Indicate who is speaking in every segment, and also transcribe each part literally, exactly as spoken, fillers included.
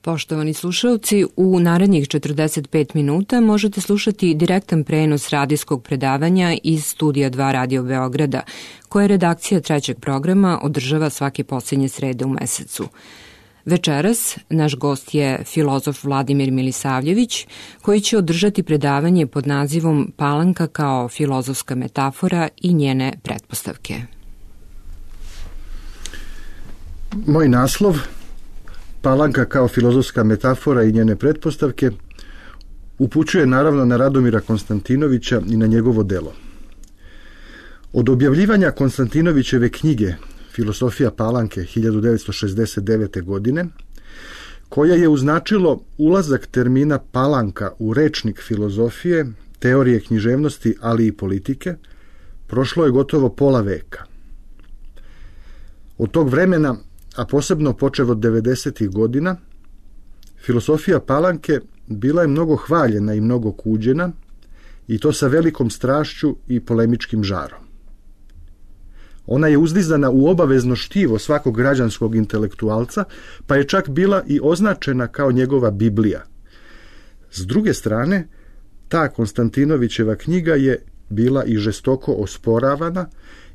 Speaker 1: Poštovani slušalci, u narednih četrdeset pet minuta možete slušati direktan prenos radijskog predavanja iz Studija dva Radio Beograda, koje redakcija trećeg programa održava svake posljednje srede u mesecu. Večeras naš gost je filozof Vladimir Milisavljević, koji će održati predavanje pod nazivom Palanka kao filozofska metafora i njene pretpostavke.
Speaker 2: Moj naslov, Palanka kao filozofska metafora i njene pretpostavke, upućuje naravno na Radomira Konstantinovića i na njegovo delo. Od objavljivanja Konstantinovićeve knjige Filosofija Palanke hiljadu devetsto šezdeset devete. godine, koja je označilo ulazak termina palanka u rečnik filozofije, teorije književnosti, ali i politike, prošlo je gotovo pola veka. Od tog vremena, a posebno počev od devedesetih godina, filosofija Palanke bila je mnogo hvaljena i mnogo kuđena, i to sa velikom strašću i polemičkim žarom. Ona je uzdizana u obavezno štivo svakog građanskog intelektualca, pa je čak bila i označena kao njegova Biblija. S druge strane, ta Konstantinovićeva knjiga je bila i žestoko osporavana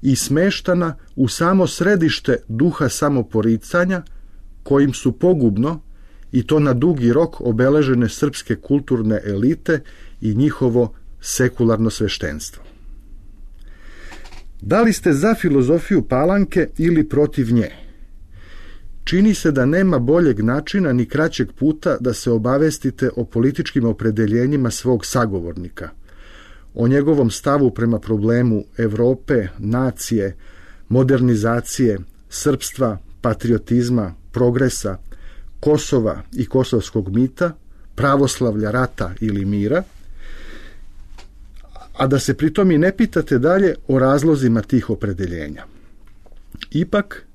Speaker 2: i smeštana u samo središte duha samoporicanja, kojim su pogubno, i to na dugi rok, obeležene srpske kulturne elite i njihovo sekularno sveštenstvo. Da li ste za filozofiju Palanke ili protiv nje? Čini se da nema boljeg načina ni kraćeg puta da se obavestite o političkim opredeljenjima svog sagovornika, o njegovom stavu prema problemu Evrope, nacije, modernizacije, srpstva, patriotizma, progresa, Kosova i kosovskog mita, pravoslavlja, rata ili mira, a da se pritom i ne pitate dalje o razlozima tih opredeljenja. Ipak,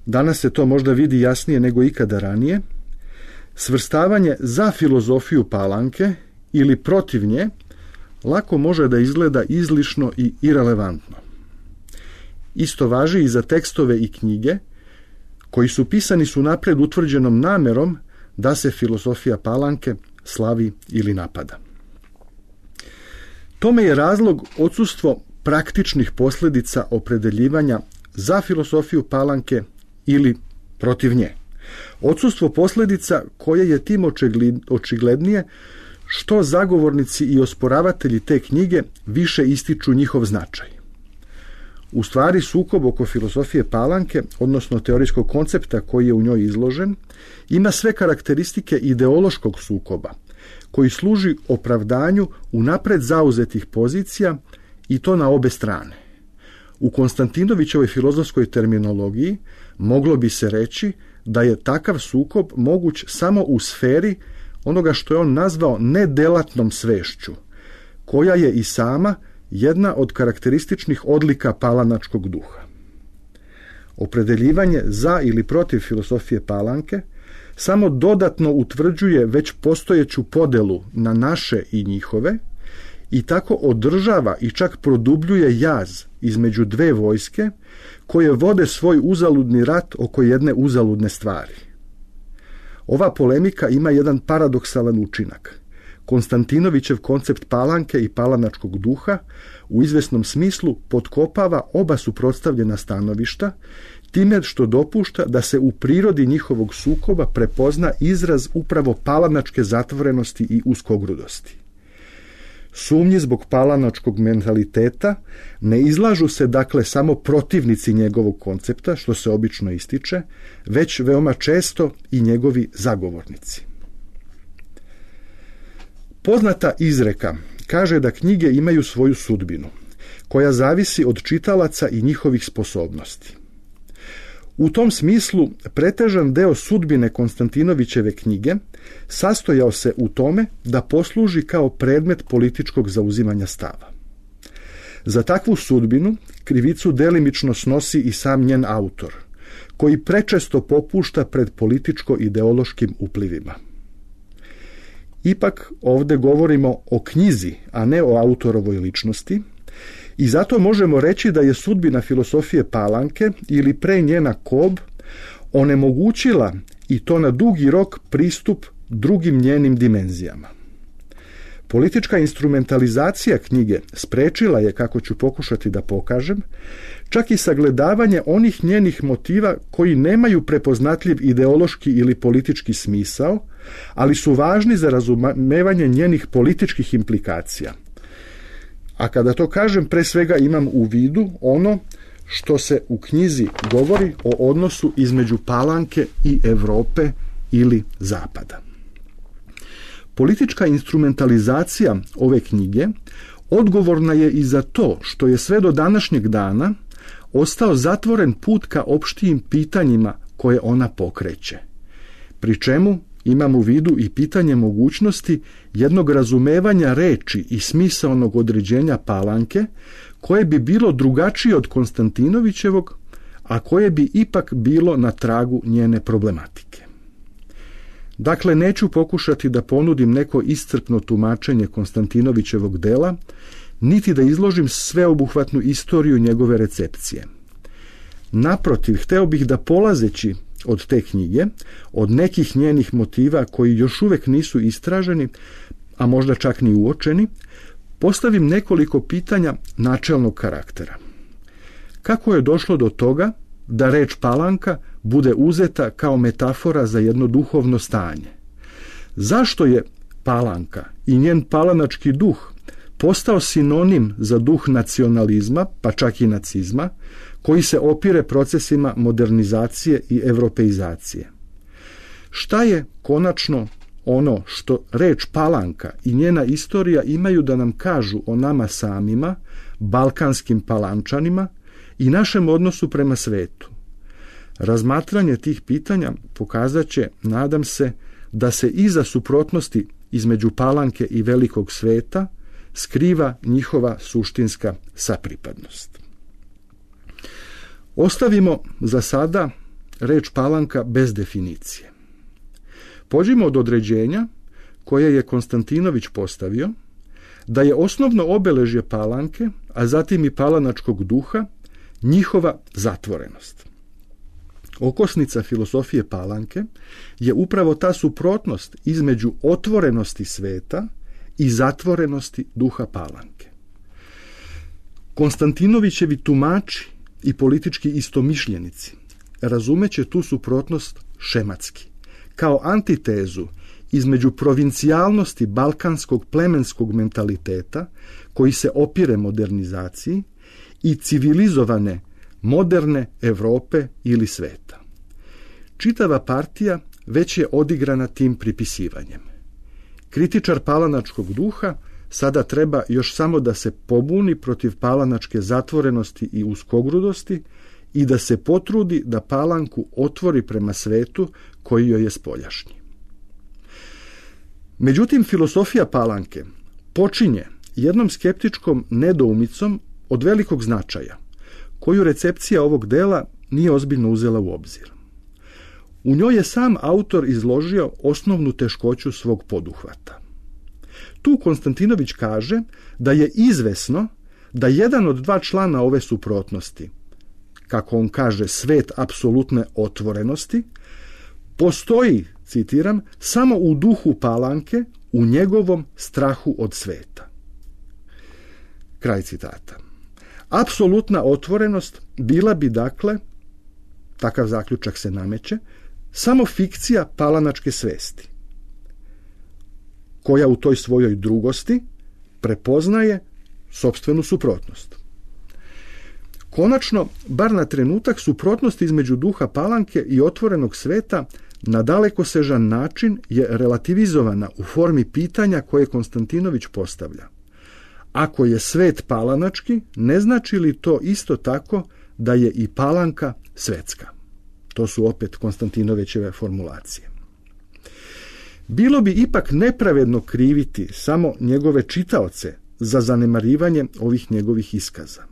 Speaker 2: danas se to možda vidi jasnije nego ikada ranije, svrstavanje za filozofiju Palanke ili protiv nje lako može da izgleda izlišno i irelevantno. Isto važi i za tekstove i knjige koji su pisani su napred utvrđenom namerom da se filozofija Palanke slavi ili napada. Tome je razlog odsustvo praktičnih posljedica opredeljivanja za filozofiju Palanke ili protiv nje. Odsustvo posljedica koje je tim očiglednije što zagovornici i osporavatelji te knjige više ističu njihov značaj. U stvari, sukob oko filozofije Palanke, odnosno teorijskog koncepta koji je u njoj izložen, ima sve karakteristike ideološkog sukoba, koji služi opravdanju unapred zauzetih pozicija, i to na obe strane. U Konstantinovićevoj filozofskoj terminologiji moglo bi se reći da je takav sukob moguć samo u sferi onoga što je on nazvao nedelatnom svešću, koja je i sama jedna od karakterističnih odlika palanačkog duha. Opredeljivanje za ili protiv filozofije Palanke samo dodatno utvrđuje već postojeću podelu na naše i njihove i tako održava i čak produbljuje jaz između dve vojske koje vode svoj uzaludni rat oko jedne uzaludne stvari. Ova polemika ima jedan paradoksalan učinak. Konstantinovićev koncept Palanke i palanačkog duha u izvesnom smislu potkopava oba suprotstavljena stanovišta, time što dopušta da se u prirodi njihovog sukoba prepozna izraz upravo palanačke zatvorenosti i uskogrudosti. Sumnji zbog palanačkog mentaliteta ne izlažu se dakle samo protivnici njegovog koncepta, što se obično ističe, već veoma često i njegovi zagovornici. Poznata izreka kaže da knjige imaju svoju sudbinu, koja zavisi od čitalaca i njihovih sposobnosti. U tom smislu pretežan deo sudbine Konstantinovićeve knjige sastojao se u tome da posluži kao predmet političkog zauzimanja stava. Za takvu sudbinu krivicu delimično snosi i sam njen autor, koji prečesto popušta pred političko-ideološkim uplivima. Ipak ovdje govorimo o knjizi, a ne o autorovoj ličnosti, i zato možemo reći da je sudbina filozofije Palanke ili pre njena Kob onemogućila i to na dugi rok pristup drugim njenim dimenzijama. Politička instrumentalizacija knjige sprečila je, kako ću pokušati da pokažem, čak i sagledavanje onih njenih motiva koji nemaju prepoznatljiv ideološki ili politički smisao, ali su važni za razumevanje njenih političkih implikacija. A kada to kažem, pre svega imam u vidu ono što se u knjizi govori o odnosu između Palanke i Europe ili Zapada. Politička instrumentalizacija ove knjige odgovorna je i za to što je sve do današnjeg dana ostao zatvoren put ka opštijim pitanjima koje ona pokreće. Pri čemu imam u vidu i pitanje mogućnosti jednog razumevanja reči i smisaonog određenja Palanke, koje bi bilo drugačije od Konstantinovićevog, a koje bi ipak bilo na tragu njene problematike. Dakle, neću pokušati da ponudim neko iscrpno tumačenje Konstantinovićevog dela, niti da izložim sveobuhvatnu istoriju njegove recepcije. Naprotiv, hteo bih da, polazeći od te knjige, od nekih njenih motiva koji još uvek nisu istraženi, a možda čak ni uočeni, postavim nekoliko pitanja načelnog karaktera. Kako je došlo do toga da reč Palanka bude uzeta kao metafora za jedno duhovno stanje? Zašto je Palanka i njen palanački duh postao sinonim za duh nacionalizma, pa čak i nacizma, koji se opire procesima modernizacije i evropeizacije? Šta je konačno ono što reč Palanka i njena istorija imaju da nam kažu o nama samima, balkanskim Palančanima, i našem odnosu prema svetu? Razmatranje tih pitanja pokazat će, nadam se, da se iza suprotnosti između Palanke i velikog sveta skriva njihova suštinska sapripadnost. Ostavimo za sada reč Palanka bez definicije. Pođimo od određenja koje je Konstantinović postavio, da je osnovno obeležje Palanke, a zatim i palanačkog duha, njihova zatvorenost. Okosnica filosofije Palanke je upravo ta suprotnost između otvorenosti sveta i zatvorenosti duha Palanke. Konstantinovićevi tumači i politički istomišljenici razumeće tu suprotnost šematski, kao antitezu između provincijalnosti balkanskog plemenskog mentaliteta koji se opire modernizaciji i civilizovane moderne Evrope ili sveta. Čitava partija već je odigrana tim pripisivanjem. Kritičar palanačkog duha sada treba još samo da se pobuni protiv palanačke zatvorenosti i uskogrudosti i da se potrudi da Palanku otvori prema svetu koji joj je spoljašnji. Međutim, filosofija Palanke počinje jednom skeptičkom nedoumicom od velikog značaja, koju recepcija ovog dela nije ozbiljno uzela u obzir. U njoj je sam autor izložio osnovnu teškoću svog poduhvata. Tu Konstantinović kaže da je izvesno da jedan od dva člana ove suprotnosti, kako on kaže, svet apsolutne otvorenosti, postoji, citiram, samo u duhu Palanke, u njegovom strahu od sveta. Kraj citata. Apsolutna otvorenost bila bi, dakle, takav zaključak se nameće, samo fikcija palanačke svesti, koja u toj svojoj drugosti prepoznaje sopstvenu suprotnost. Konačno, bar na trenutak, suprotnost između duha Palanke i otvorenog sveta na dalekosežan način je relativizovana u formi pitanja koje Konstantinović postavlja. Ako je svet palanački, ne znači li to isto tako da je i Palanka svetska? To su opet Konstantinovićeve formulacije. Bilo bi ipak nepravedno kriviti samo njegove čitaoce za zanemarivanje ovih njegovih iskaza.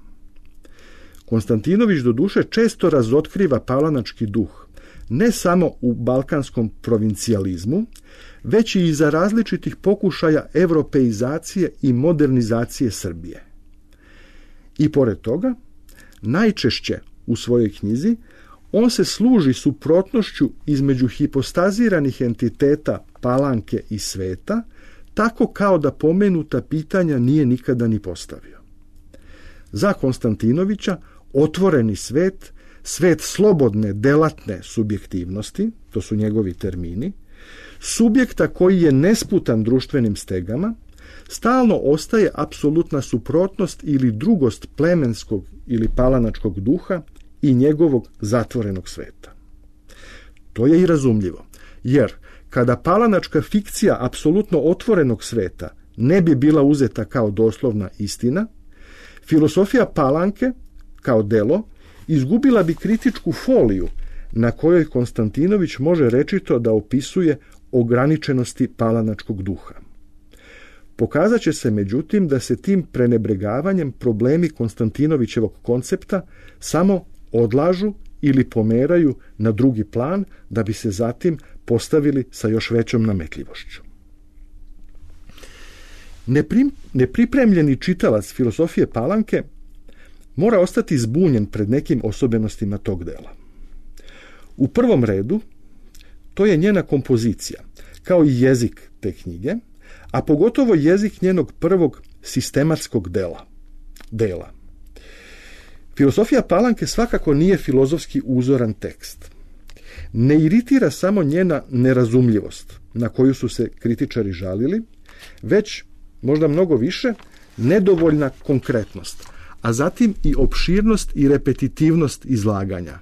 Speaker 2: Konstantinović doduše često razotkriva palanački duh, ne samo u balkanskom provincijalizmu, već i iza različitih pokušaja evropeizacije i modernizacije Srbije. I pored toga, najčešće u svojoj knjizi on se služi suprotnošću između hipostaziranih entiteta Palanke i sveta, tako kao da pomenuta pitanja nije nikada ni postavio. Za Konstantinovića otvoreni svet, svet slobodne, delatne subjektivnosti, to su njegovi termini, subjekta koji je nesputan društvenim stegama, stalno ostaje apsolutna suprotnost ili drugost plemenskog ili palanačkog duha i njegovog zatvorenog sveta. To je i razumljivo, jer kada palanačka fikcija apsolutno otvorenog sveta ne bi bila uzeta kao doslovna istina, filosofija Palanke, kao delo, izgubila bi kritičku foliju na kojoj Konstantinović može rečito da opisuje ograničenosti palanačkog duha. Pokazat će se, međutim, da se tim prenebregavanjem problemi Konstantinovićevog koncepta samo odlažu ili pomeraju na drugi plan da bi se zatim postavili sa još većom nametljivošću. Neprim, nepripremljeni čitalac filosofije Palanke mora ostati zbunjen pred nekim osobenostima tog dela. U prvom redu, to je njena kompozicija, kao i jezik te knjige, a pogotovo jezik njenog prvog sistematskog dela. dela. Filosofija Palanke svakako nije filozofski uzoran tekst. Ne iritira samo njena nerazumljivost, na koju su se kritičari žalili, već, možda mnogo više, nedovoljna konkretnost, a zatim i opširnost i repetitivnost izlaganja,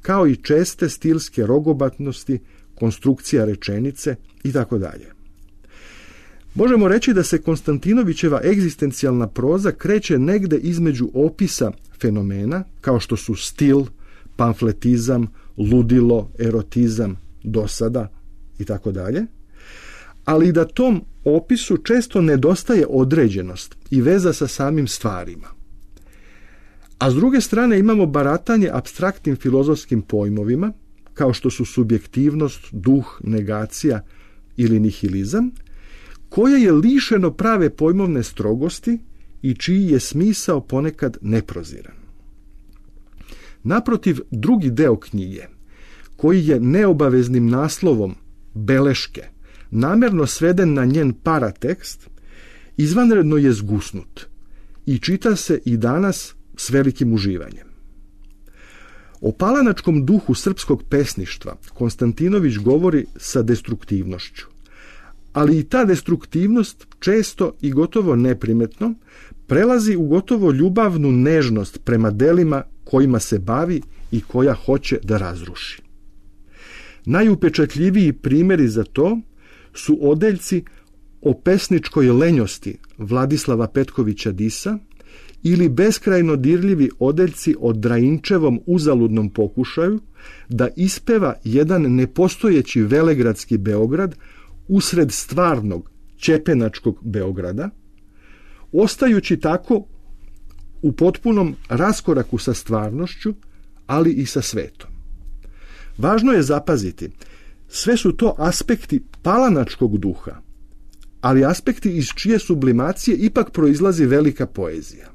Speaker 2: kao i česte stilske rogobatnosti, konstrukcija rečenice i tako dalje. Možemo reći da se Konstantinovićeva egzistencijalna proza kreće negde između opisa fenomena, kao što su stil, pamfletizam, ludilo, erotizam, dosada i tako dalje, ali da tom opisu često nedostaje određenost i veza sa samim stvarima. A s druge strane imamo baratanje apstraktnim filozofskim pojmovima, kao što su subjektivnost, duh, negacija ili nihilizam, koje je lišeno prave pojmovne strogosti i čiji je smisao ponekad neproziran. Naprotiv, drugi deo knjige, koji je neobaveznim naslovom beleške, namjerno sveden na njen paratekst, izvanredno je zgusnut i čita se i danas s velikim uživanjem. O palanačkom duhu srpskog pesništva Konstantinović govori sa destruktivnošću, ali i ta destruktivnost često i gotovo neprimetno prelazi u gotovo ljubavnu nežnost prema delima kojima se bavi i koja hoće da razruši. Najupečatljiviji primjeri za to su odeljci o pesničkoj lenjosti Vladislava Petkovića Disa ili beskrajno dirljivi odeljci o Drainčevom uzaludnom pokušaju da ispeva jedan nepostojeći velegradski Beograd usred stvarnog ćepenačkog Beograda, ostajući tako u potpunom raskoraku sa stvarnošću, ali i sa svetom. Važno je zapaziti, sve su to aspekti palanačkog duha, ali aspekti iz čije sublimacije ipak proizlazi velika poezija.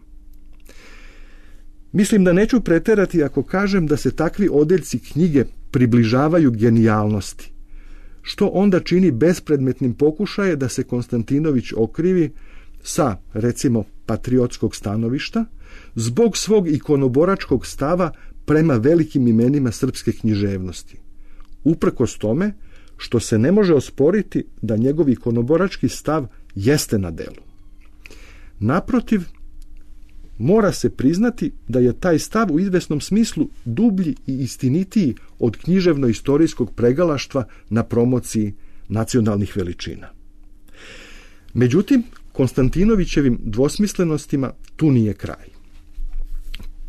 Speaker 2: Mislim da neću preterati ako kažem da se takvi odeljci knjige približavaju genijalnosti, što onda čini bespredmetnim pokušaje da se Konstantinović okrivi sa, recimo, patriotskog stanovišta, zbog svog ikonoboračkog stava prema velikim imenima srpske književnosti. Uprkos tome što se ne može osporiti da njegov ikonoborački stav jeste na delu. Naprotiv, mora se priznati da je taj stav u izvesnom smislu dublji i istinitiji od književno-istorijskog pregalaštva na promociji nacionalnih veličina. Međutim, Konstantinovićevim dvosmislenostima tu nije kraj.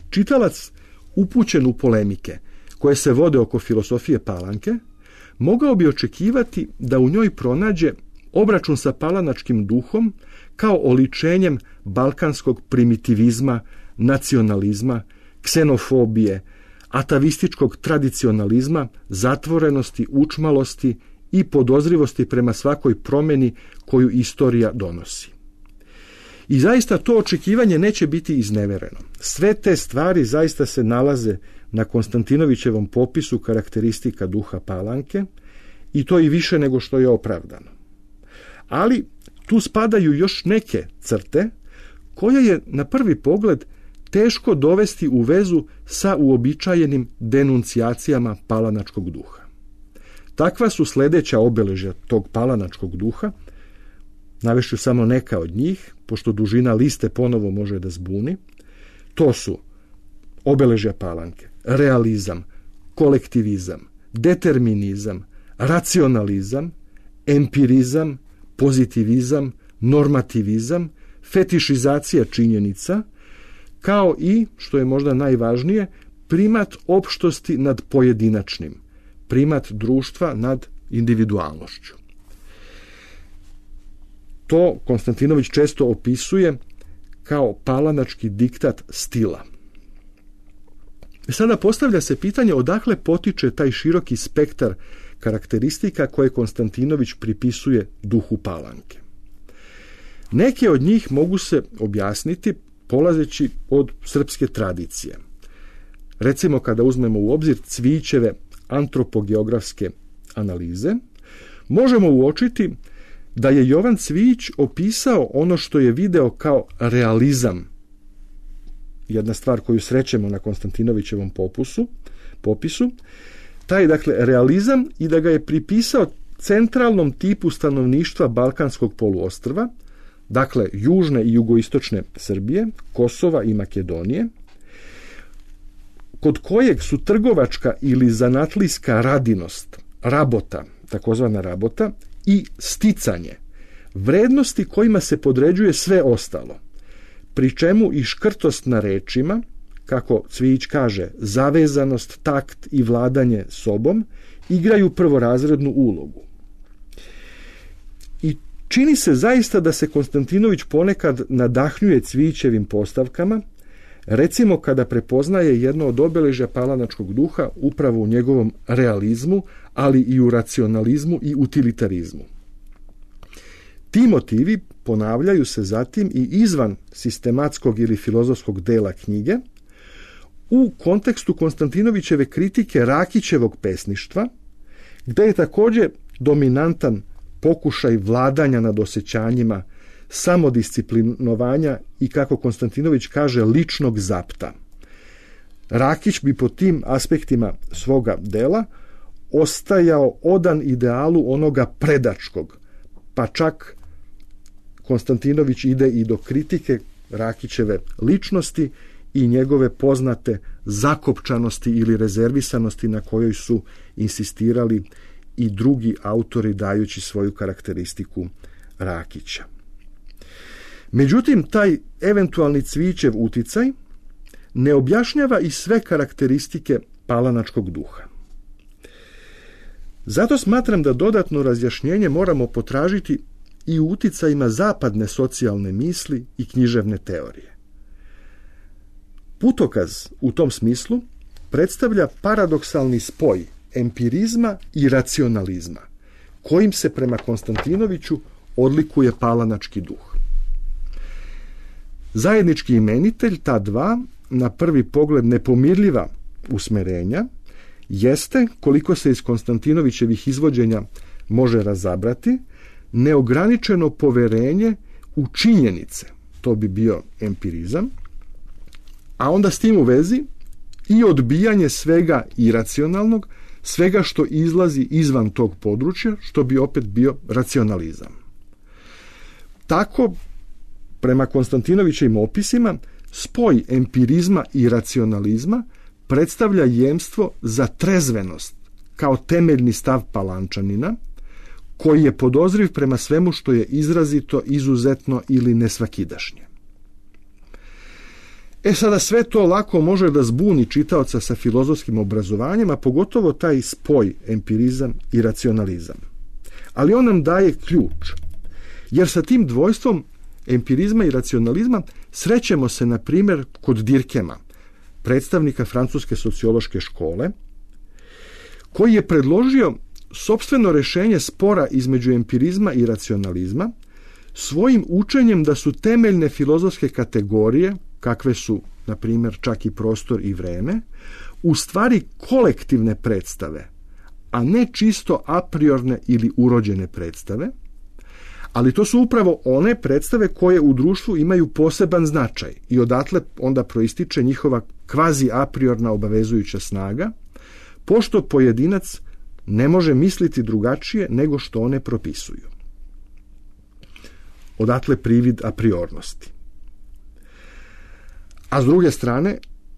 Speaker 2: Čitalac upućen u polemike koje se vode oko filosofije Palanke mogao bi očekivati da u njoj pronađe obračun sa palanačkim duhom kao oličenjem balkanskog primitivizma, nacionalizma, ksenofobije, atavističkog tradicionalizma, zatvorenosti, učmalosti i podozrivosti prema svakoj promjeni koju istorija donosi. I zaista to očekivanje neće biti iznevereno. Sve te stvari zaista se nalaze na Konstantinovićevom popisu karakteristika duha Palanke, i to i više nego što je opravdano. Ali tu spadaju još neke crte koje je na prvi pogled teško dovesti u vezu sa uobičajenim denuncijacijama palanačkog duha. Takva su sljedeća obeležja tog palanačkog duha. Navešću samo neka od njih, pošto dužina liste ponovo može da zbuni. To su obeležja Palanke: realizam, kolektivizam, determinizam, racionalizam, empirizam, pozitivizam, normativizam, fetišizacija činjenica, kao i, što je možda najvažnije, primat opštosti nad pojedinačnim, primat društva nad individualnošću. To Konstantinović često opisuje kao palanački diktat stila. Sada postavlja se pitanje odakle potiče taj široki spektar karakteristika koje Konstantinović pripisuje duhu Palanke. Neke od njih mogu se objasniti polazeći od srpske tradicije. Recimo, kada uzmemo u obzir Cvijićeve antropogeografske analize, možemo uočiti da je Jovan Cvijić opisao ono što je video kao realizam, jedna stvar koju srećemo na Konstantinovićevom popusu, popisu, taj dakle realizam, i da ga je pripisao centralnom tipu stanovništva Balkanskog poluostrva, dakle južne i jugoistočne Srbije, Kosova i Makedonije, kod kojeg su trgovačka ili zanatlijska radinost, rabota, takozvana rabota, i sticanje vrednosti kojima se podređuje sve ostalo, pri čemu i škrtost na rečima, kako Cvijić kaže, zavezanost, takt i vladanje sobom, igraju prvorazrednu ulogu. I čini se zaista da se Konstantinović ponekad nadahnjuje Cvijićevim postavkama, recimo kada prepoznaje jedno od obeležja palanačkog duha upravo u njegovom realizmu, ali i u racionalizmu i utilitarizmu. Ti motivi ponavljaju se zatim i izvan sistematskog ili filozofskog dela knjige, u kontekstu Konstantinovićeve kritike Rakićevog pesništva, gde je također dominantan pokušaj vladanja nad osjećanjima, samodisciplinovanja i, kako Konstantinović kaže, ličnog zapta. Rakić bi po tim aspektima svoga dela ostajao odan idealu onoga predačkog, pa čak Konstantinović ide i do kritike Rakićeve ličnosti i njegove poznate zakopčanosti ili rezervisanosti na kojoj su insistirali i drugi autori dajući svoju karakteristiku Rakića. Međutim, taj eventualni Cvijićev uticaj ne objašnjava i sve karakteristike palanačkog duha. Zato smatram da dodatno razjašnjenje moramo potražiti i u uticajima zapadne socijalne misli i književne teorije. Putokaz u tom smislu predstavlja paradoksalni spoj empirizma i racionalizma, kojim se prema Konstantinoviću odlikuje palanački duh. Zajednički imenitelj ta dva, na prvi pogled nepomirljiva usmerenja, jeste, koliko se iz Konstantinovićevih izvođenja može razabrati, neograničeno poverenje u činjenice, to bi bio empirizam, a onda s tim u vezi i odbijanje svega iracionalnog, svega što izlazi izvan tog područja, što bi opet bio racionalizam. Tako, prema Konstantinovićevim opisima, spoj empirizma i racionalizma predstavlja jemstvo za trezvenost kao temeljni stav Palančanina, koji je podozriv prema svemu što je izrazito, izuzetno ili nesvakidašnje. E sada, sve to lako može da zbuni čitaoca sa filozofskim obrazovanjem, a pogotovo taj spoj empirizam i racionalizam. Ali on nam daje ključ, jer sa tim dvojstvom empirizma i racionalizma srećemo se, na primjer, kod Dirkema, predstavnika francuske sociološke škole, koji je predložio sopstveno rešenje spora između empirizma i racionalizma svojim učenjem da su temeljne filozofske kategorije, kakve su, na primjer, čak i prostor i vreme, u stvari kolektivne predstave, a ne čisto apriorne ili urođene predstave, ali to su upravo one predstave koje u društvu imaju poseban značaj i odatle onda proističe njihova kvazi apriorna obavezujuća snaga, pošto pojedinac ne može misliti drugačije nego što one propisuju. Odatle privid apriornosti. A s druge strane,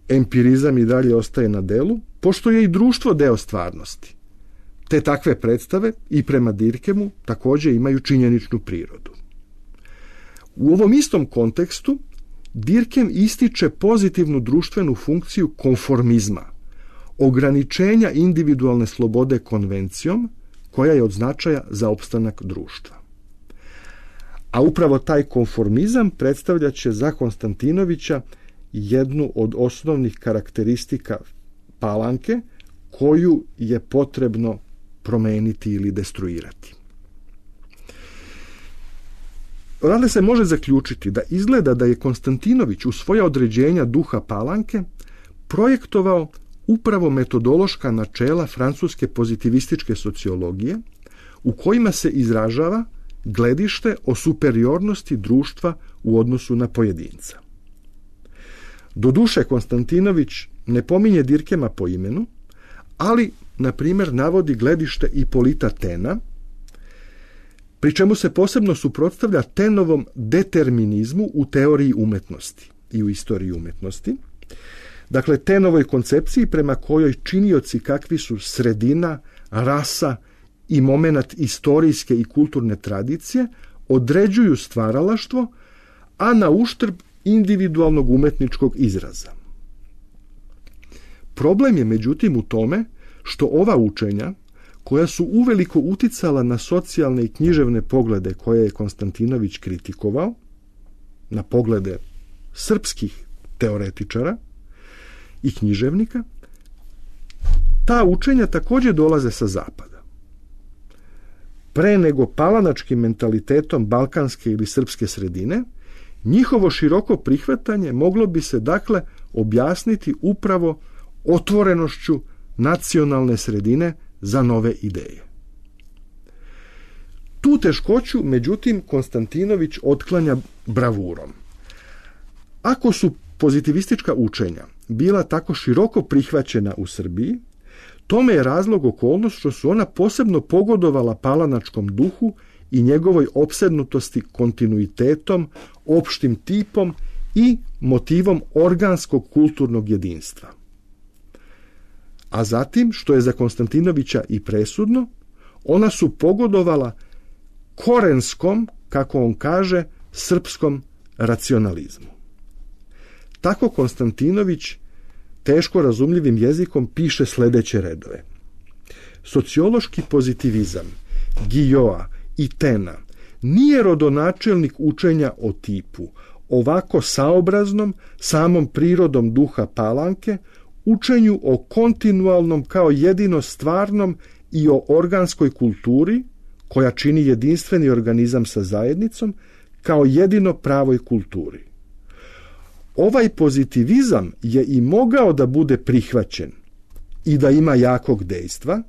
Speaker 2: empirizam i dalje ostaje na delu, pošto je i društvo deo stvarnosti. Te takve predstave i prema Dirkemu također imaju činjeničnu prirodu. U ovom istom kontekstu Dirkem ističe pozitivnu društvenu funkciju konformizma, ograničenja individualne slobode konvencijom koja je od značaja za opstanak društva. A upravo taj konformizam predstavljat će za Konstantinovića jednu od osnovnih karakteristika Palanke koju je potrebno promeniti ili destruirati. Odatle se može zaključiti da izgleda da je Konstantinović u svoja određenja duha Palanke projektovao upravo metodološka načela francuske pozitivističke sociologije u kojima se izražava gledište o superiornosti društva u odnosu na pojedinca. Doduše, Konstantinović ne pominje Dirkema po imenu, ali, na primjer, navodi gledište Ipolita Tena, pri čemu se posebno suprotstavlja Tenovom determinizmu u teoriji umetnosti i u istoriji umetnosti. Dakle, Tenovoj koncepciji prema kojoj činioci kakvi su sredina, rasa i momenat istorijske i kulturne tradicije određuju stvaralaštvo, a na uštrb individualnog umetničkog izraza. Problem je međutim u tome što ova učenja, koja su uveliko uticala na socijalne i književne poglede koje je Konstantinović kritikovao, na poglede srpskih teoretičara i književnika, ta učenja također dolaze sa zapada. Pre nego palanačkim mentalitetom balkanske ili srpske sredine, njihovo široko prihvatanje moglo bi se dakle objasniti upravo otvorenošću nacionalne sredine za nove ideje. Tu teškoću, međutim, Konstantinović otklanja bravurom. Ako su pozitivistička učenja bila tako široko prihvaćena u Srbiji, tome je razlog okolnost što su ona posebno pogodovala palanačkom duhu i njegovoj opsednutosti kontinuitetom, opštim tipom i motivom organskog kulturnog jedinstva. A zatim, što je za Konstantinovića i presudno, ona su pogodovala korenskom, kako on kaže, srpskom racionalizmu. Tako Konstantinović teško razumljivim jezikom piše sljedeće redove. Sociološki pozitivizam Guillaume i Tena nije rodonačelnik učenja o tipu, ovako saobraznom, samom prirodom duha Palanke, učenju o kontinualnom kao jedino stvarnom i o organskoj kulturi, koja čini jedinstveni organizam sa zajednicom, kao jedino pravoj kulturi. Ovaj pozitivizam je i mogao da bude prihvaćen i da ima jakog dejstva,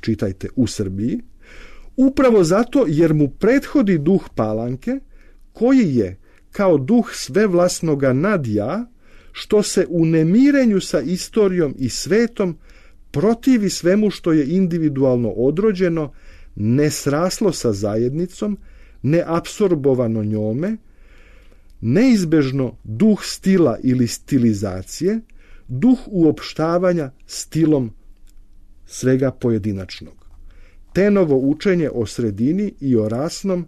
Speaker 2: čitajte u Srbiji, upravo zato jer mu prethodi duh Palanke, koji je kao duh svevlasnoga nadja, što se u nemirenju sa istorijom i svetom protivi svemu što je individualno odrođeno, nesraslo sa zajednicom, neapsorbovano njome, neizbežno duh stila ili stilizacije, duh uopštavanja stilom svega pojedinačnog. Tenovo učenje o sredini i o rasnom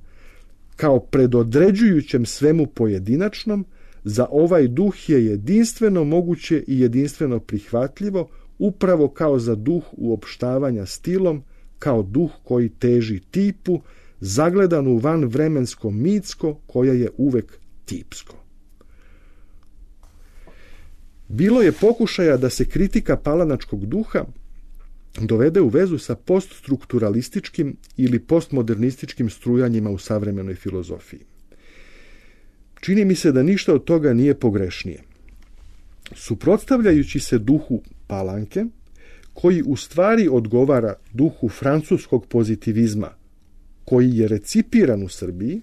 Speaker 2: kao predodređujućem svemu pojedinačnom, za ovaj duh je jedinstveno moguće i jedinstveno prihvatljivo, upravo kao za duh uopštavanja stilom, kao duh koji teži tipu, zagledan u vanvremensko mitsko, koje je uvek tipsko. Bilo je pokušaja da se kritika palanačkog duha dovede u vezu sa poststrukturalističkim ili postmodernističkim strujanjima u savremenoj filozofiji. Čini mi se da ništa od toga nije pogrešnije. Suprotstavljajući se duhu Palanke, koji u stvari odgovara duhu francuskog pozitivizma, koji je recipiran u Srbiji,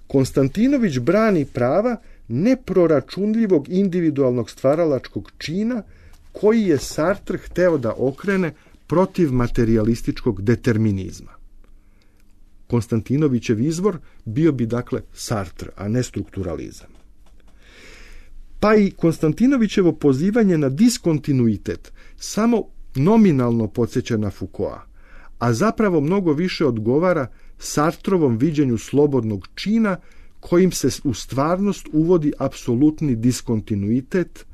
Speaker 2: Konstantinović brani prava neproračunljivog individualnog stvaralačkog čina koji je Sartre hteo da okrene protiv materijalističkog determinizma. Konstantinovićev izvor bio bi dakle Sartre, a ne strukturalizam. Pa i Konstantinovićevo pozivanje na diskontinuitet samo nominalno podsjeća na Foucaulta, a zapravo mnogo više odgovara Sartrovom viđenju slobodnog čina kojim se u stvarnost uvodi apsolutni diskontinuitet,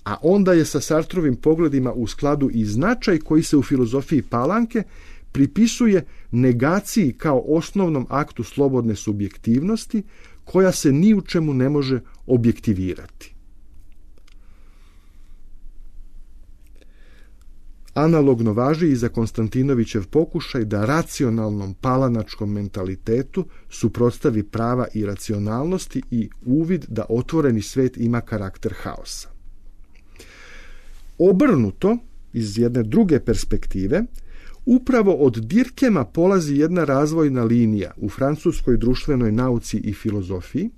Speaker 2: a onda je sa Sartrovim pogledima u skladu i značaj koji se u filozofiji Palanke pripisuje negaciji kao osnovnom aktu slobodne subjektivnosti koja se ni u čemu ne može objektivirati. Analogno važi i za Konstantinovićev pokušaj da racionalnom palanačkom mentalitetu suprotstavi prava i racionalnosti i uvid da otvoreni svet ima karakter haosa. Obrnuto, iz jedne druge perspektive, upravo od Dirkema polazi jedna razvojna linija u francuskoj društvenoj nauci i filozofiji,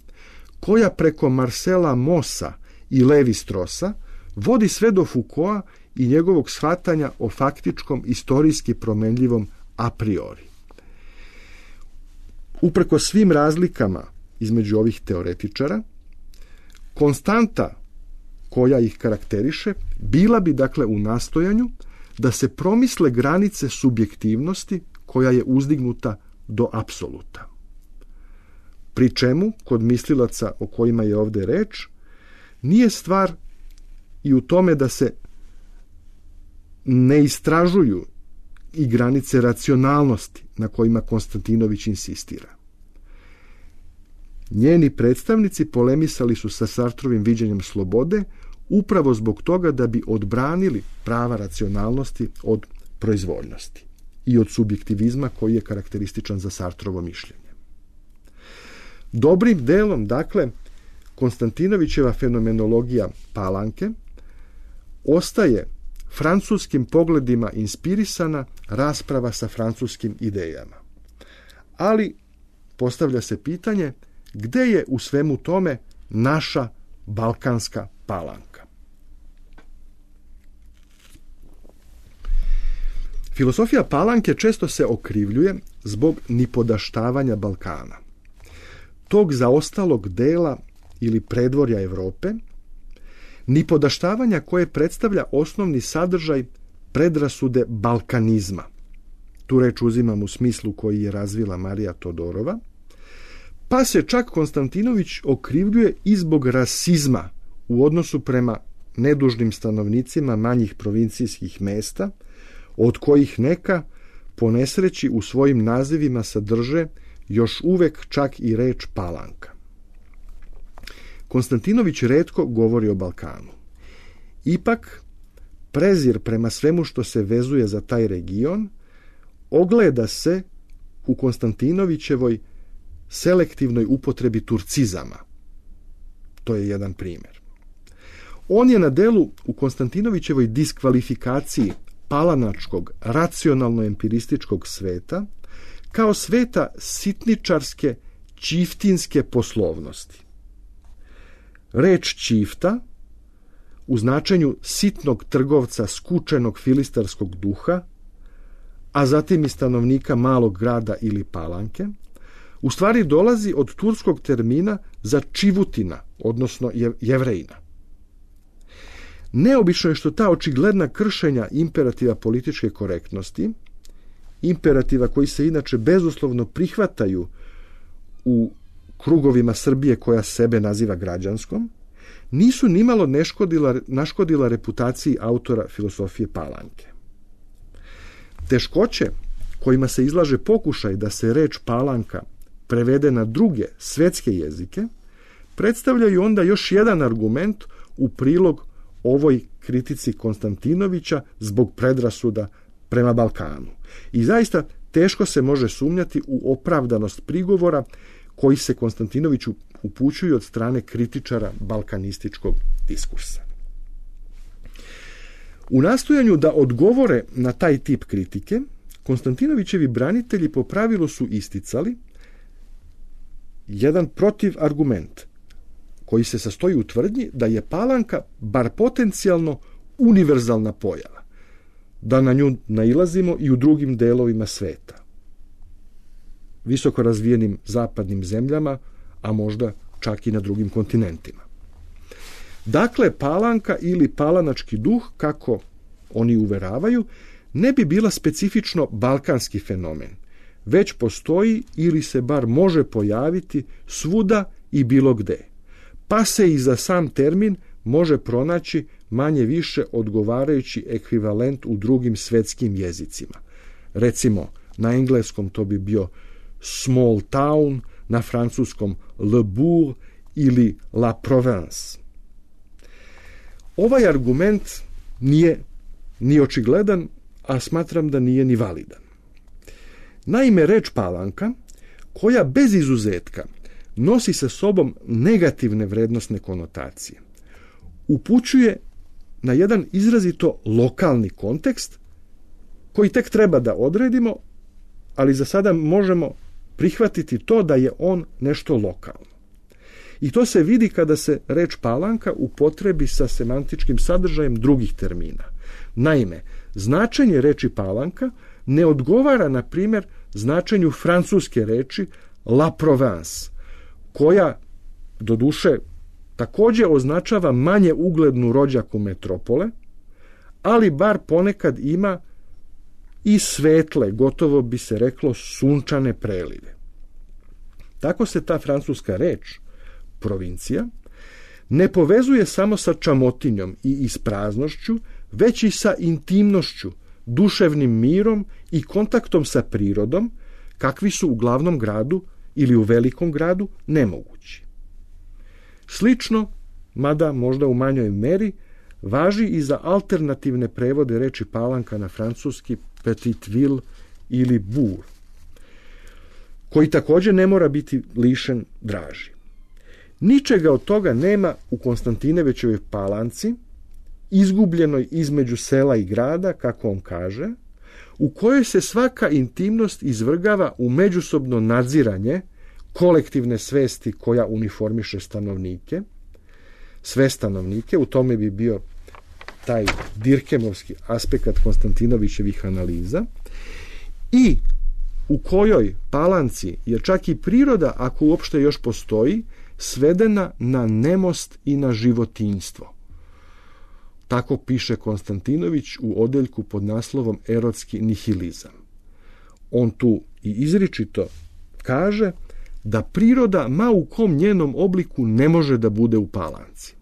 Speaker 2: koja preko Marcela Maussa i Levi-Straussa vodi sve do Foucaulta i njegovog shvatanja o faktičkom istorijski promenljivom a priori. Upreko svim razlikama između ovih teoretičara, konstanta koja ih karakteriše bila bi dakle u nastojanju da se promisle granice subjektivnosti koja je uzdignuta do apsoluta. Pri čemu, kod mislilaca o kojima je ovdje reč, nije stvar i u tome da se ne istražuju i granice racionalnosti na kojima Konstantinović insistira. Njeni predstavnici polemisali su sa Sartrovim viđenjem slobode upravo zbog toga da bi odbranili prava racionalnosti od proizvoljnosti i od subjektivizma koji je karakterističan za Sartrovo mišljenje. Dobrim delom, dakle, Konstantinovićeva fenomenologija Palanke ostaje francuskim pogledima inspirisana rasprava sa francuskim idejama. Ali postavlja se pitanje gde je u svemu tome naša balkanska Palanka. Filosofija Palanke često se okrivljuje zbog nipodaštavanja Balkana, tog zaostalog dela ili predvorja Evrope, nipodaštavanja koje predstavlja osnovni sadržaj predrasude balkanizma. Tu reč uzimam u smislu koji je razvila Marija Todorova, pa se čak Konstantinović okrivljuje i zbog rasizma u odnosu prema nedužnim stanovnicima manjih provincijskih mesta, od kojih neka po nesreći u svojim nazivima sadrže još uvek čak i reč Palanka. Konstantinović retko govori o Balkanu. Ipak, prezir prema svemu što se vezuje za taj region ogleda se u Konstantinovićevoj selektivnoj upotrebi turcizama. To je jedan primjer. On je na delu u Konstantinovićevoj diskvalifikaciji palanačkog, racionalno-empirističkog sveta kao sveta sitničarske, čiftinske poslovnosti. Reč čifta u značenju sitnog trgovca skučenog filistarskog duha, a zatim i stanovnika malog grada ili Palanke, u stvari dolazi od turskog termina za čivutina, odnosno jevrejina. Neobično je što ta očigledna kršenja imperativa političke korektnosti, imperativa koji se inače bezuslovno prihvataju u krugovima Srbije koja sebe naziva građanskom, nisu nimalo neškodila, naškodila reputaciji autora filosofije Palanke. Teškoće kojima se izlaže pokušaj da se reč Palanka prevede na druge svetske jezike, predstavljaju onda još jedan argument u prilog ovoj kritici Konstantinovića zbog predrasuda prema Balkanu. I zaista teško se može sumnjati u opravdanost prigovora koji se Konstantinoviću upućuju od strane kritičara balkanističkog diskursa. U nastojanju da odgovore na taj tip kritike, Konstantinovićevi branitelji po pravilu su isticali jedan protivargument koji se sastoji u tvrdnji da je Palanka bar potencijalno univerzalna pojava, da na nju nailazimo i u drugim delovima sveta, visoko razvijenim zapadnim zemljama, a možda čak i na drugim kontinentima. Dakle, Palanka ili palanački duh, kako oni uveravaju, ne bi bila specifično balkanski fenomen, već postoji ili se bar može pojaviti svuda i bilo gde, pa se i za sam termin može pronaći manje više odgovarajući ekvivalent u drugim svetskim jezicima. Recimo, na engleskom to bi bio small town, na francuskom le bourg ili la province. Ovaj argument nije ni očigledan, a smatram da nije ni validan. Naime, reč Palanka, koja bez izuzetka nosi sa sobom negativne vrednosne konotacije, upućuje na jedan izrazito lokalni kontekst koji tek treba da odredimo, ali za sada možemo prihvatiti to da je on nešto lokalno. I to se vidi kada se reč Palanka upotrebi sa semantičkim sadržajem drugih termina. Naime, značenje reči Palanka ne odgovara, na primjer, značenju francuske reči la province, koja, doduše, također označava manje uglednu rođaku metropole, ali bar ponekad ima i svetle, gotovo bi se reklo sunčane prelive. Tako se ta francuska reč, provincija, ne povezuje samo sa čamotinjom i ispraznošću, već i sa intimnošću, duševnim mirom i kontaktom sa prirodom, kakvi su u glavnom gradu ili u velikom gradu nemogući. Slično, mada možda u manjoj meri, važi i za alternativne prevode reči Palanka na francuski petit ville ili bourg, koji također ne mora biti lišen draži. Ničega od toga nema u Konstantinevićevoj Palanci, izgubljenoj između sela i grada, kako on kaže, u kojoj se svaka intimnost izvrgava u međusobno nadziranje kolektivne svesti koja uniformiše stanovnike, sve stanovnike, u tome bi bio taj Dirkemovski aspekt Konstantinovićevih analiza, i u kojoj Palanci je čak i priroda, ako uopšte još postoji, svedena na nemost i na životinjstvo. Tako piše Konstantinović u odeljku pod naslovom Erotski nihilizam. On tu i izričito kaže da priroda ma u kom njenom obliku ne može da bude u Palanci.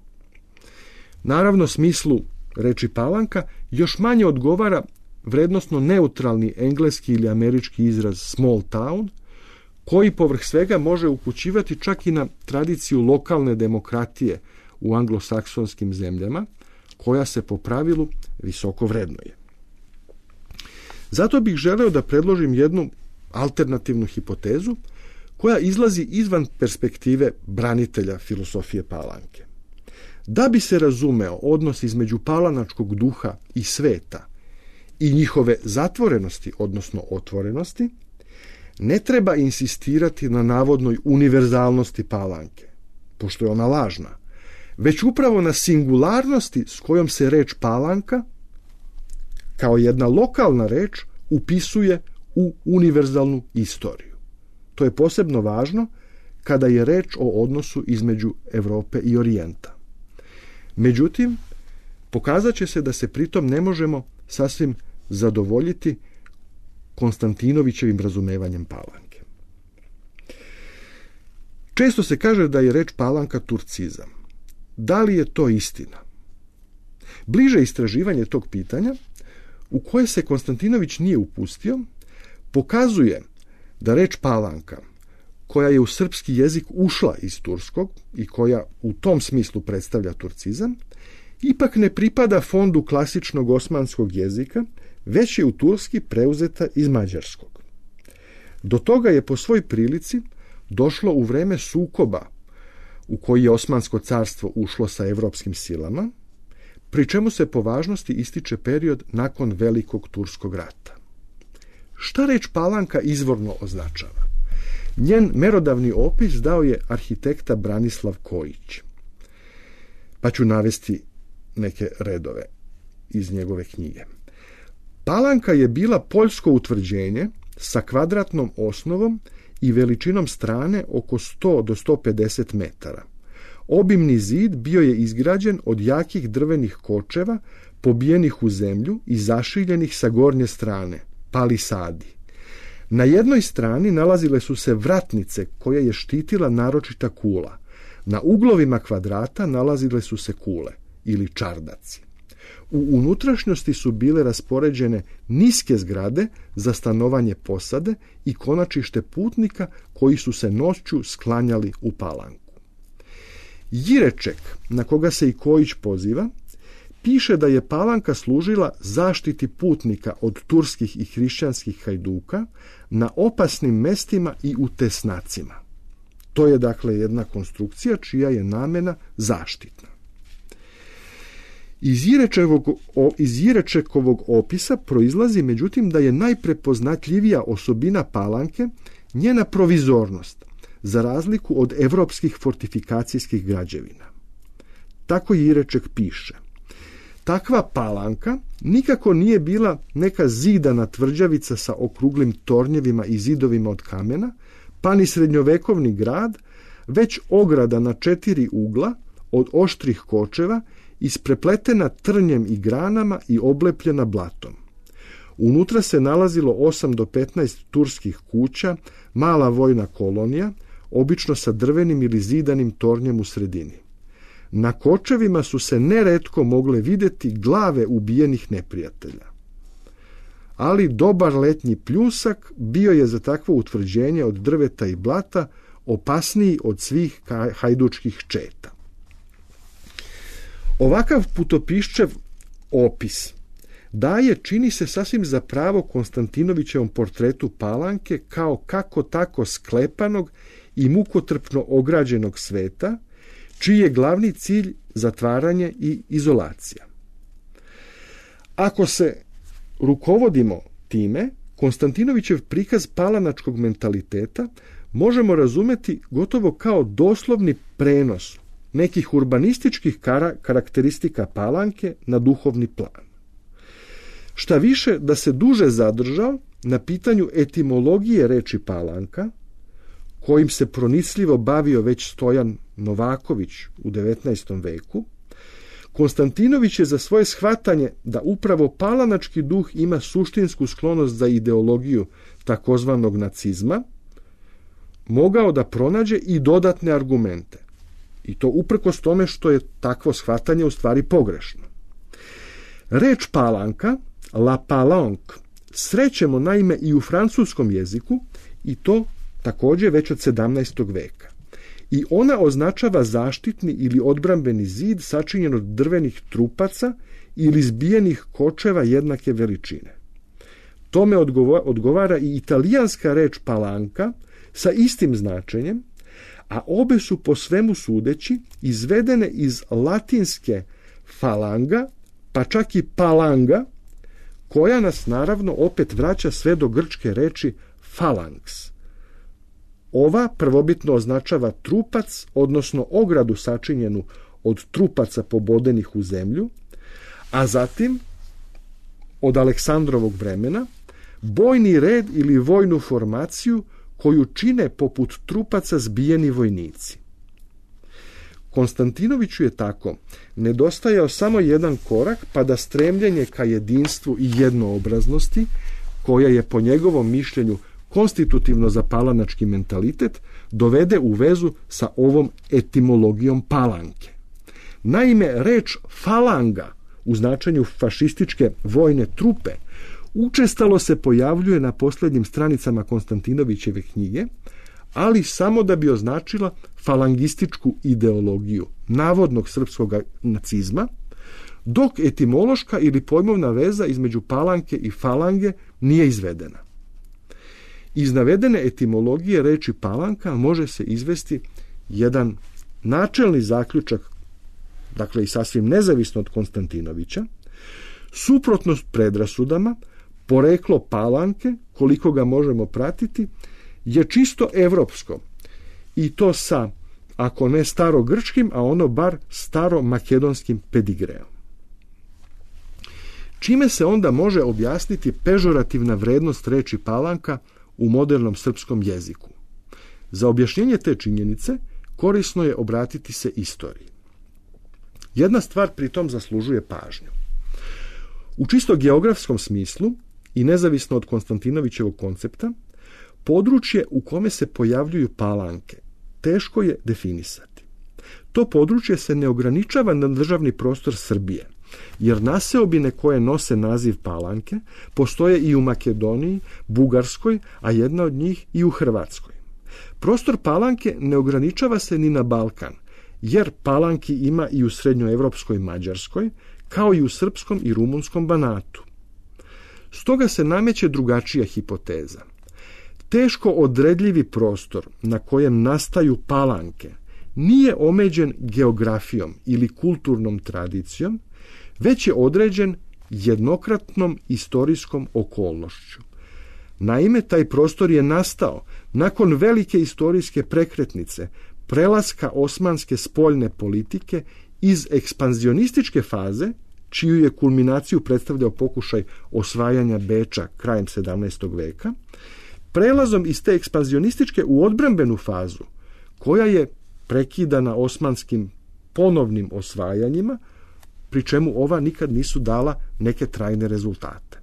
Speaker 2: Naravno, smislu reči Palanka još manje odgovara vrednosno neutralni engleski ili američki izraz small town, koji povrh svega može upućivati čak i na tradiciju lokalne demokratije u anglosaksonskim zemljama, koja se po pravilu visoko vrednuje. Zato bih želeo da predložim jednu alternativnu hipotezu koja izlazi izvan perspektive branitelja filosofije Palanke. Da bi se razumeo odnos između palanačkog duha i sveta i njihove zatvorenosti, odnosno otvorenosti, ne treba insistirati na navodnoj univerzalnosti Palanke, pošto je ona lažna, već upravo na singularnosti s kojom se reč Palanka, kao jedna lokalna reč, upisuje u univerzalnu istoriju. To je posebno važno kada je reč o odnosu između Europe i Orijenta. Međutim, pokazat će se da se pritom ne možemo sasvim zadovoljiti Konstantinovićevim razumevanjem Palanke. Često se kaže da je reč Palanka turcizam. Da li je to istina? Bliže istraživanje tog pitanja, u koje se Konstantinović nije upustio, pokazuje da reč Palanka, koja je u srpski jezik ušla iz turskog i koja u tom smislu predstavlja turcizam, ipak ne pripada fondu klasičnog osmanskog jezika, već je u turski preuzeta iz mađarskog. Do toga je po svoj prilici došlo u vreme sukoba u koji je Osmansko carstvo ušlo sa evropskim silama, pri čemu se po važnosti ističe period nakon Velikog turskog rata. Šta reč Palanka izvorno označava? Njen merodavni opis dao je arhitekta Branislav Kojić. Pa ću navesti neke redove iz njegove knjige. Palanka je bila poljsko utvrđenje sa kvadratnom osnovom i veličinom strane oko sto do sto pedeset metara. Obimni zid bio je izgrađen od jakih drvenih kočeva pobijenih u zemlju i zašiljenih sa gornje strane, palisadi. Na jednoj strani nalazile su se vratnice koje je štitila naročita kula. Na uglovima kvadrata nalazile su se kule ili čardaci. U unutrašnjosti su bile raspoređene niske zgrade za stanovanje posade i konačište putnika koji su se noću sklanjali u Palanku. Jireček, na koga se i Kojić poziva, piše da je Palanka služila zaštiti putnika od turskih i hrišćanskih hajduka na opasnim mestima i u tesnacima. To je dakle jedna konstrukcija čija je namena zaštitna. Iz Jirečekovog, iz Jirečekovog opisa proizlazi međutim da je najprepoznatljivija osobina Palanke njena provizornost, za razliku od evropskih fortifikacijskih građevina. Tako Jireček piše: takva Palanka nikako nije bila neka zidana tvrđavica sa okruglim tornjevima i zidovima od kamena, pa ni srednjovekovni grad, već ograda na četiri ugla od oštrih kočeva, isprepletena trnjem i granama i oblepljena blatom. Unutra se nalazilo osam do petnaest turskih kuća, mala vojna kolonija, obično sa drvenim ili zidanim tornjem u sredini. Na kočevima su se neretko mogle vidjeti glave ubijenih neprijatelja. Ali dobar letnji pljusak bio je za takvo utvrđenje od drveta i blata opasniji od svih hajdučkih četa. Ovakav putopiščev opis daje, čini se, sasvim za pravo Konstantinovićevom portretu Palanke kao kako tako sklepanog i mukotrpno ograđenog sveta, čiji je glavni cilj zatvaranje i izolacija. Ako se rukovodimo time, Konstantinovićev prikaz palanačkog mentaliteta možemo razumjeti gotovo kao doslovni prenos nekih urbanističkih kara- karakteristika Palanke na duhovni plan. Šta više, da se duže zadržao na pitanju etimologije reči Palanka, kojim se pronicljivo bavio već Stojan Novaković u devetnaestom veku, Konstantinović je za svoje shvatanje da upravo palanački duh ima suštinsku sklonost za ideologiju takozvanog nacizma, mogao da pronađe i dodatne argumente. I to uprkos tome što je takvo shvatanje u stvari pogrešno. Reč Palanka, la Palanque, srećemo naime i u francuskom jeziku, i to također već od sedamnaestog veka. I ona označava zaštitni ili odbrambeni zid sačinjen od drvenih trupaca ili zbijenih kočeva jednake veličine. Tome odgovara i italijanska reč palanka sa istim značenjem, a obe su po svemu sudeći izvedene iz latinske falanga, pa čak i palanga, koja nas naravno opet vraća sve do grčke reči phalanx. Ova prvobitno označava trupac, odnosno ogradu sačinjenu od trupaca pobodenih u zemlju, a zatim, od Aleksandrovog vremena, bojni red ili vojnu formaciju koju čine poput trupaca zbijeni vojnici. Konstantinoviću je tako nedostajao samo jedan korak pa da stremljenje ka jedinstvu i jednoobraznosti, koja je po njegovom mišljenju konstitutivno za palanački mentalitet, dovede u vezu sa ovom etimologijom palanke. Naime, reč falanga u značenju fašističke vojne trupe učestalo se pojavljuje na posljednjim stranicama Konstantinovićeve knjige, ali samo da bi označila falangističku ideologiju navodnog srpskog nacizma, dok etimološka ili pojmovna veza između palanke i falange nije izvedena. Iz navedene etimologije reči palanka može se izvesti jedan načelni zaključak dakle i sasvim nezavisno od Konstantinovića, suprotno predrasudama, poreklo Palanke, koliko ga možemo pratiti, je čisto evropsko i to sa, ako ne starogrčkim, a ono bar staromakedonskim pedigreom. Čime se onda može objasniti pežorativna vrednost reči Palanka u modernom srpskom jeziku? Za objašnjenje te činjenice korisno je obratiti se istoriji. Jedna stvar pritom zaslužuje pažnju. U čisto geografskom smislu i nezavisno od Konstantinovićevog koncepta, područje u kome se pojavljuju Palanke teško je definisati. To područje se ne ograničava na državni prostor Srbije, jer naseobine koje nose naziv Palanke postoje i u Makedoniji, Bugarskoj, a jedna od njih i u Hrvatskoj. Prostor Palanke ne ograničava se ni na Balkan, jer Palanki ima i u srednjoevropskoj Mađarskoj, kao i u srpskom i rumunskom Banatu. Stoga se nameće drugačija hipoteza. Teško odredljivi prostor na kojem nastaju Palanke nije omeđen geografijom ili kulturnom tradicijom, već je određen jednokratnom istorijskom okolnošću. Naime, taj prostor je nastao nakon velike istorijske prekretnice, prelaska osmanske spoljne politike iz ekspanzionističke faze, čiju je kulminaciju predstavljao pokušaj osvajanja Beča krajem sedamnaestog veka, prelazom iz te ekspanzionističke u odbrambenu fazu, koja je prekidana osmanskim ponovnim osvajanjima, pri čemu ova nikad nisu dala neke trajne rezultate.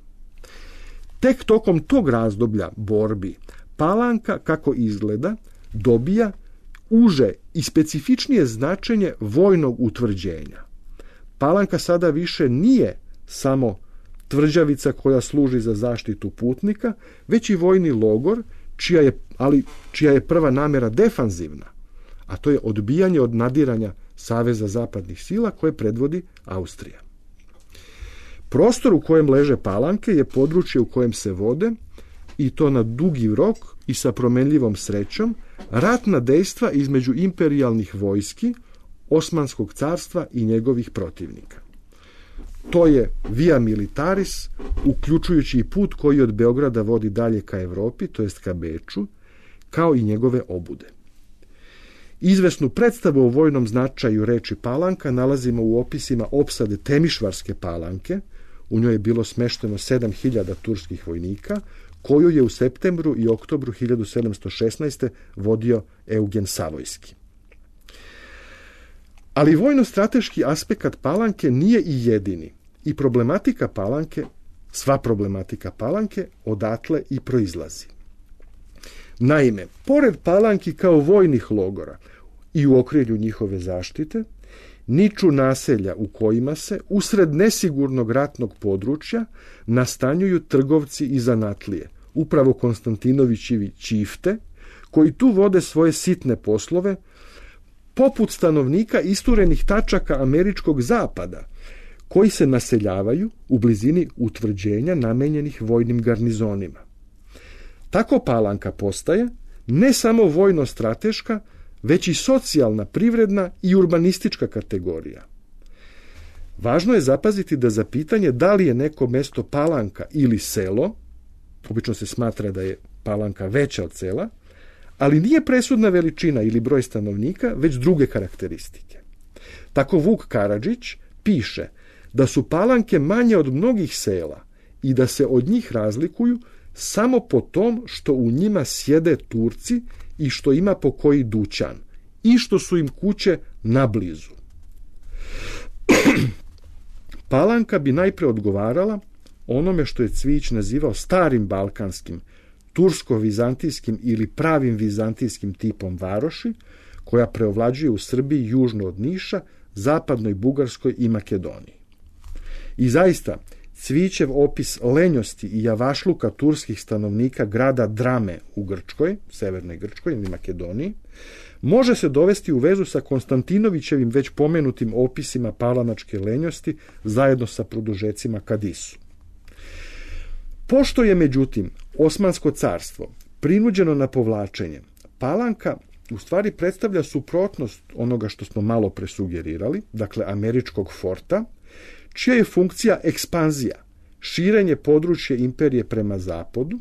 Speaker 2: Tek tokom tog razdoblja borbi Palanka, kako izgleda, dobija uže i specifičnije značenje vojnog utvrđenja. Palanka sada više nije samo tvrđavica koja služi za zaštitu putnika, već i vojni logor, čija je, ali čija je prva namjera defanzivna, a to je odbijanje od nadiranja Saveza zapadnih sila koje predvodi Austrija. Prostor u kojem leže Palanke je područje u kojem se vode, i to na dugi rok i sa promenljivom srećom, ratna dejstva između imperijalnih vojski, Osmanskog carstva i njegovih protivnika. To je via militaris, uključujući i put koji od Beograda vodi dalje ka Evropi, to jest ka Beču, kao i njegove obude. Izvesnu predstavu o vojnom značaju reči Palanka nalazimo u opisima opsade Temišvarske Palanke. U njoj je bilo smešteno sedam hiljada turskih vojnika, koju je u septembru i oktobru hiljadu sedamsto šesnaeste. vodio Eugen Savojski. Ali vojno-strateški aspekt Palanke nije i jedini i problematika Palanke, sva problematika Palanke odatle i proizlazi. Naime, pored Palanki kao vojnih logora i u okrilju njihove zaštite, niču naselja u kojima se, usred nesigurnog ratnog područja, nastanjuju trgovci i zanatlije, upravo Konstantinovićevi čifte, koji tu vode svoje sitne poslove, poput stanovnika isturenih tačaka američkog zapada, koji se naseljavaju u blizini utvrđenja namenjenih vojnim garnizonima. Tako Palanka postaje ne samo vojno-strateška, već i socijalna, privredna i urbanistička kategorija. Važno je zapaziti da za pitanje da li je neko mesto Palanka ili selo, obično se smatra da je Palanka veća od sela, ali nije presudna veličina ili broj stanovnika, već druge karakteristike. Tako Vuk Karadžić piše da su Palanke manje od mnogih sela i da se od njih razlikuju samo po tom što u njima sjede Turci i što ima po koji dućan i što su im kuće nablizu. Palanka bi najpre odgovarala onome što je Cvijić nazivao starim balkanskim, tursko-vizantijskim ili pravim vizantijskim tipom varoši, koja preovlađuje u Srbiji južno od Niša, zapadnoj Bugarskoj i Makedoniji. I zaista, Cvijićev opis lenjosti i javašluka turskih stanovnika grada Drame u Grčkoj, severnoj Grčkoj ili Makedoniji, može se dovesti u vezu sa Konstantinovićevim već pomenutim opisima palanačke lenjosti zajedno sa produžecima Kadisu. Pošto je, međutim, Osmansko carstvo prinuđeno na povlačenje, Palanka u stvari predstavlja suprotnost onoga što smo malo presugerirali, dakle američkog forta, čija je funkcija ekspanzija, širenje područja imperije prema zapadu,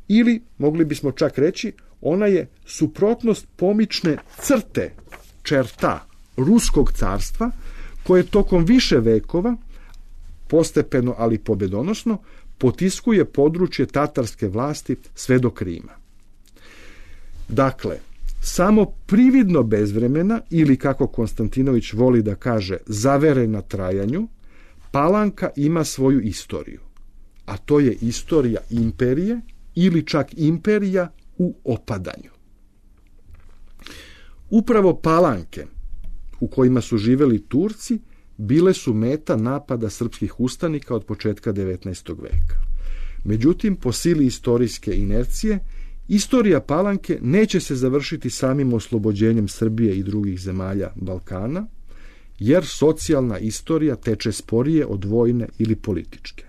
Speaker 2: ili, mogli bismo čak reći, ona je suprotnost pomične crte, čerta Ruskog carstva, koje tokom više vekova, postepeno ali pobedonosno, potiskuje područje tatarske vlasti sve do Krima. Dakle, samo prividno bez vremena, ili kako Konstantinović voli da kaže, zavere na trajanju, Palanka ima svoju istoriju, a to je istorija imperije ili čak imperija u opadanju. Upravo Palanke, u kojima su živeli Turci, bile su meta napada srpskih ustanika od početka devetnaestog veka. Međutim, po sili istorijske inercije, istorija Palanke neće se završiti samim oslobođenjem Srbije i drugih zemalja Balkana, jer socijalna istorija teče sporije od vojne ili političke.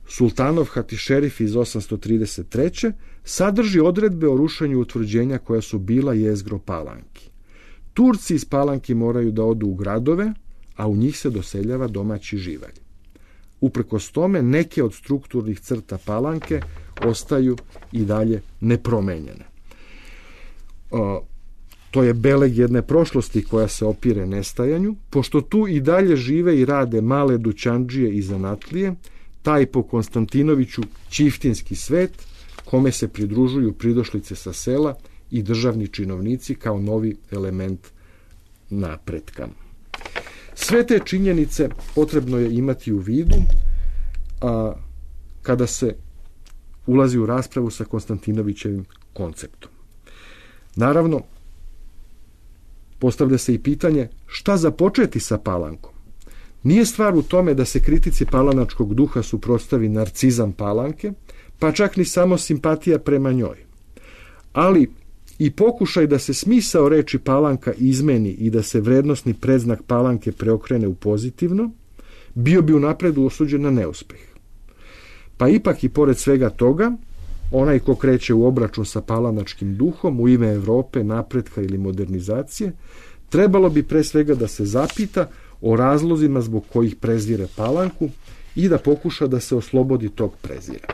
Speaker 2: Sultanov Hatišerif iz osamsto trideset treće sadrži odredbe o rušenju utvrđenja koja su bila jezgro Palanki. Turci iz Palanki moraju da odu u gradove, a u njih se doseljava domaći živalj. Uprkos tome, neke od strukturnih crta Palanke ostaju i dalje nepromenjene. O, to je beleg jedne prošlosti koja se opire nestajanju, pošto tu i dalje žive i rade male dućandžije i zanatlije, taj po Konstantinoviću čiftinski svet, kome se pridružuju pridošlice sa sela i državni činovnici kao novi element napretka. Sve te činjenice potrebno je imati u vidu a, kada se ulazi u raspravu sa Konstantinovićevim konceptom. Naravno, postavlja se i pitanje šta započeti sa Palankom. Nije stvar u tome da se kritici palanačkog duha suprotstavi narcizam Palanke, pa čak ni samo simpatija prema njoj. Ali i pokušaj da se smisao reči Palanka izmeni i da se vrednosni predznak Palanke preokrene u pozitivno, bio bi unapred osuđen na neuspeh. Pa ipak i pored svega toga, onaj ko kreće u obračun sa palanačkim duhom u ime Evrope, napretka ili modernizacije, trebalo bi pre svega da se zapita o razlozima zbog kojih prezire Palanku i da pokuša da se oslobodi tog prezira.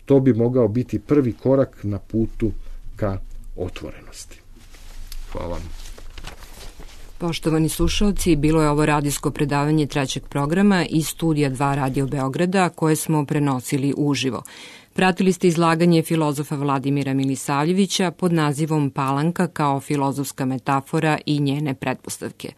Speaker 2: To bi mogao biti prvi korak na putu ka otvorenosti. Hvala.
Speaker 1: Poštovani slušalci, bilo je ovo radijsko predavanje trećeg programa iz studija dva Radio Beograda koje smo prenosili uživo. Pratili ste izlaganje filozofa Vladimira Milisavljevića pod nazivom Palanka kao filozofska metafora i njene pretpostavke.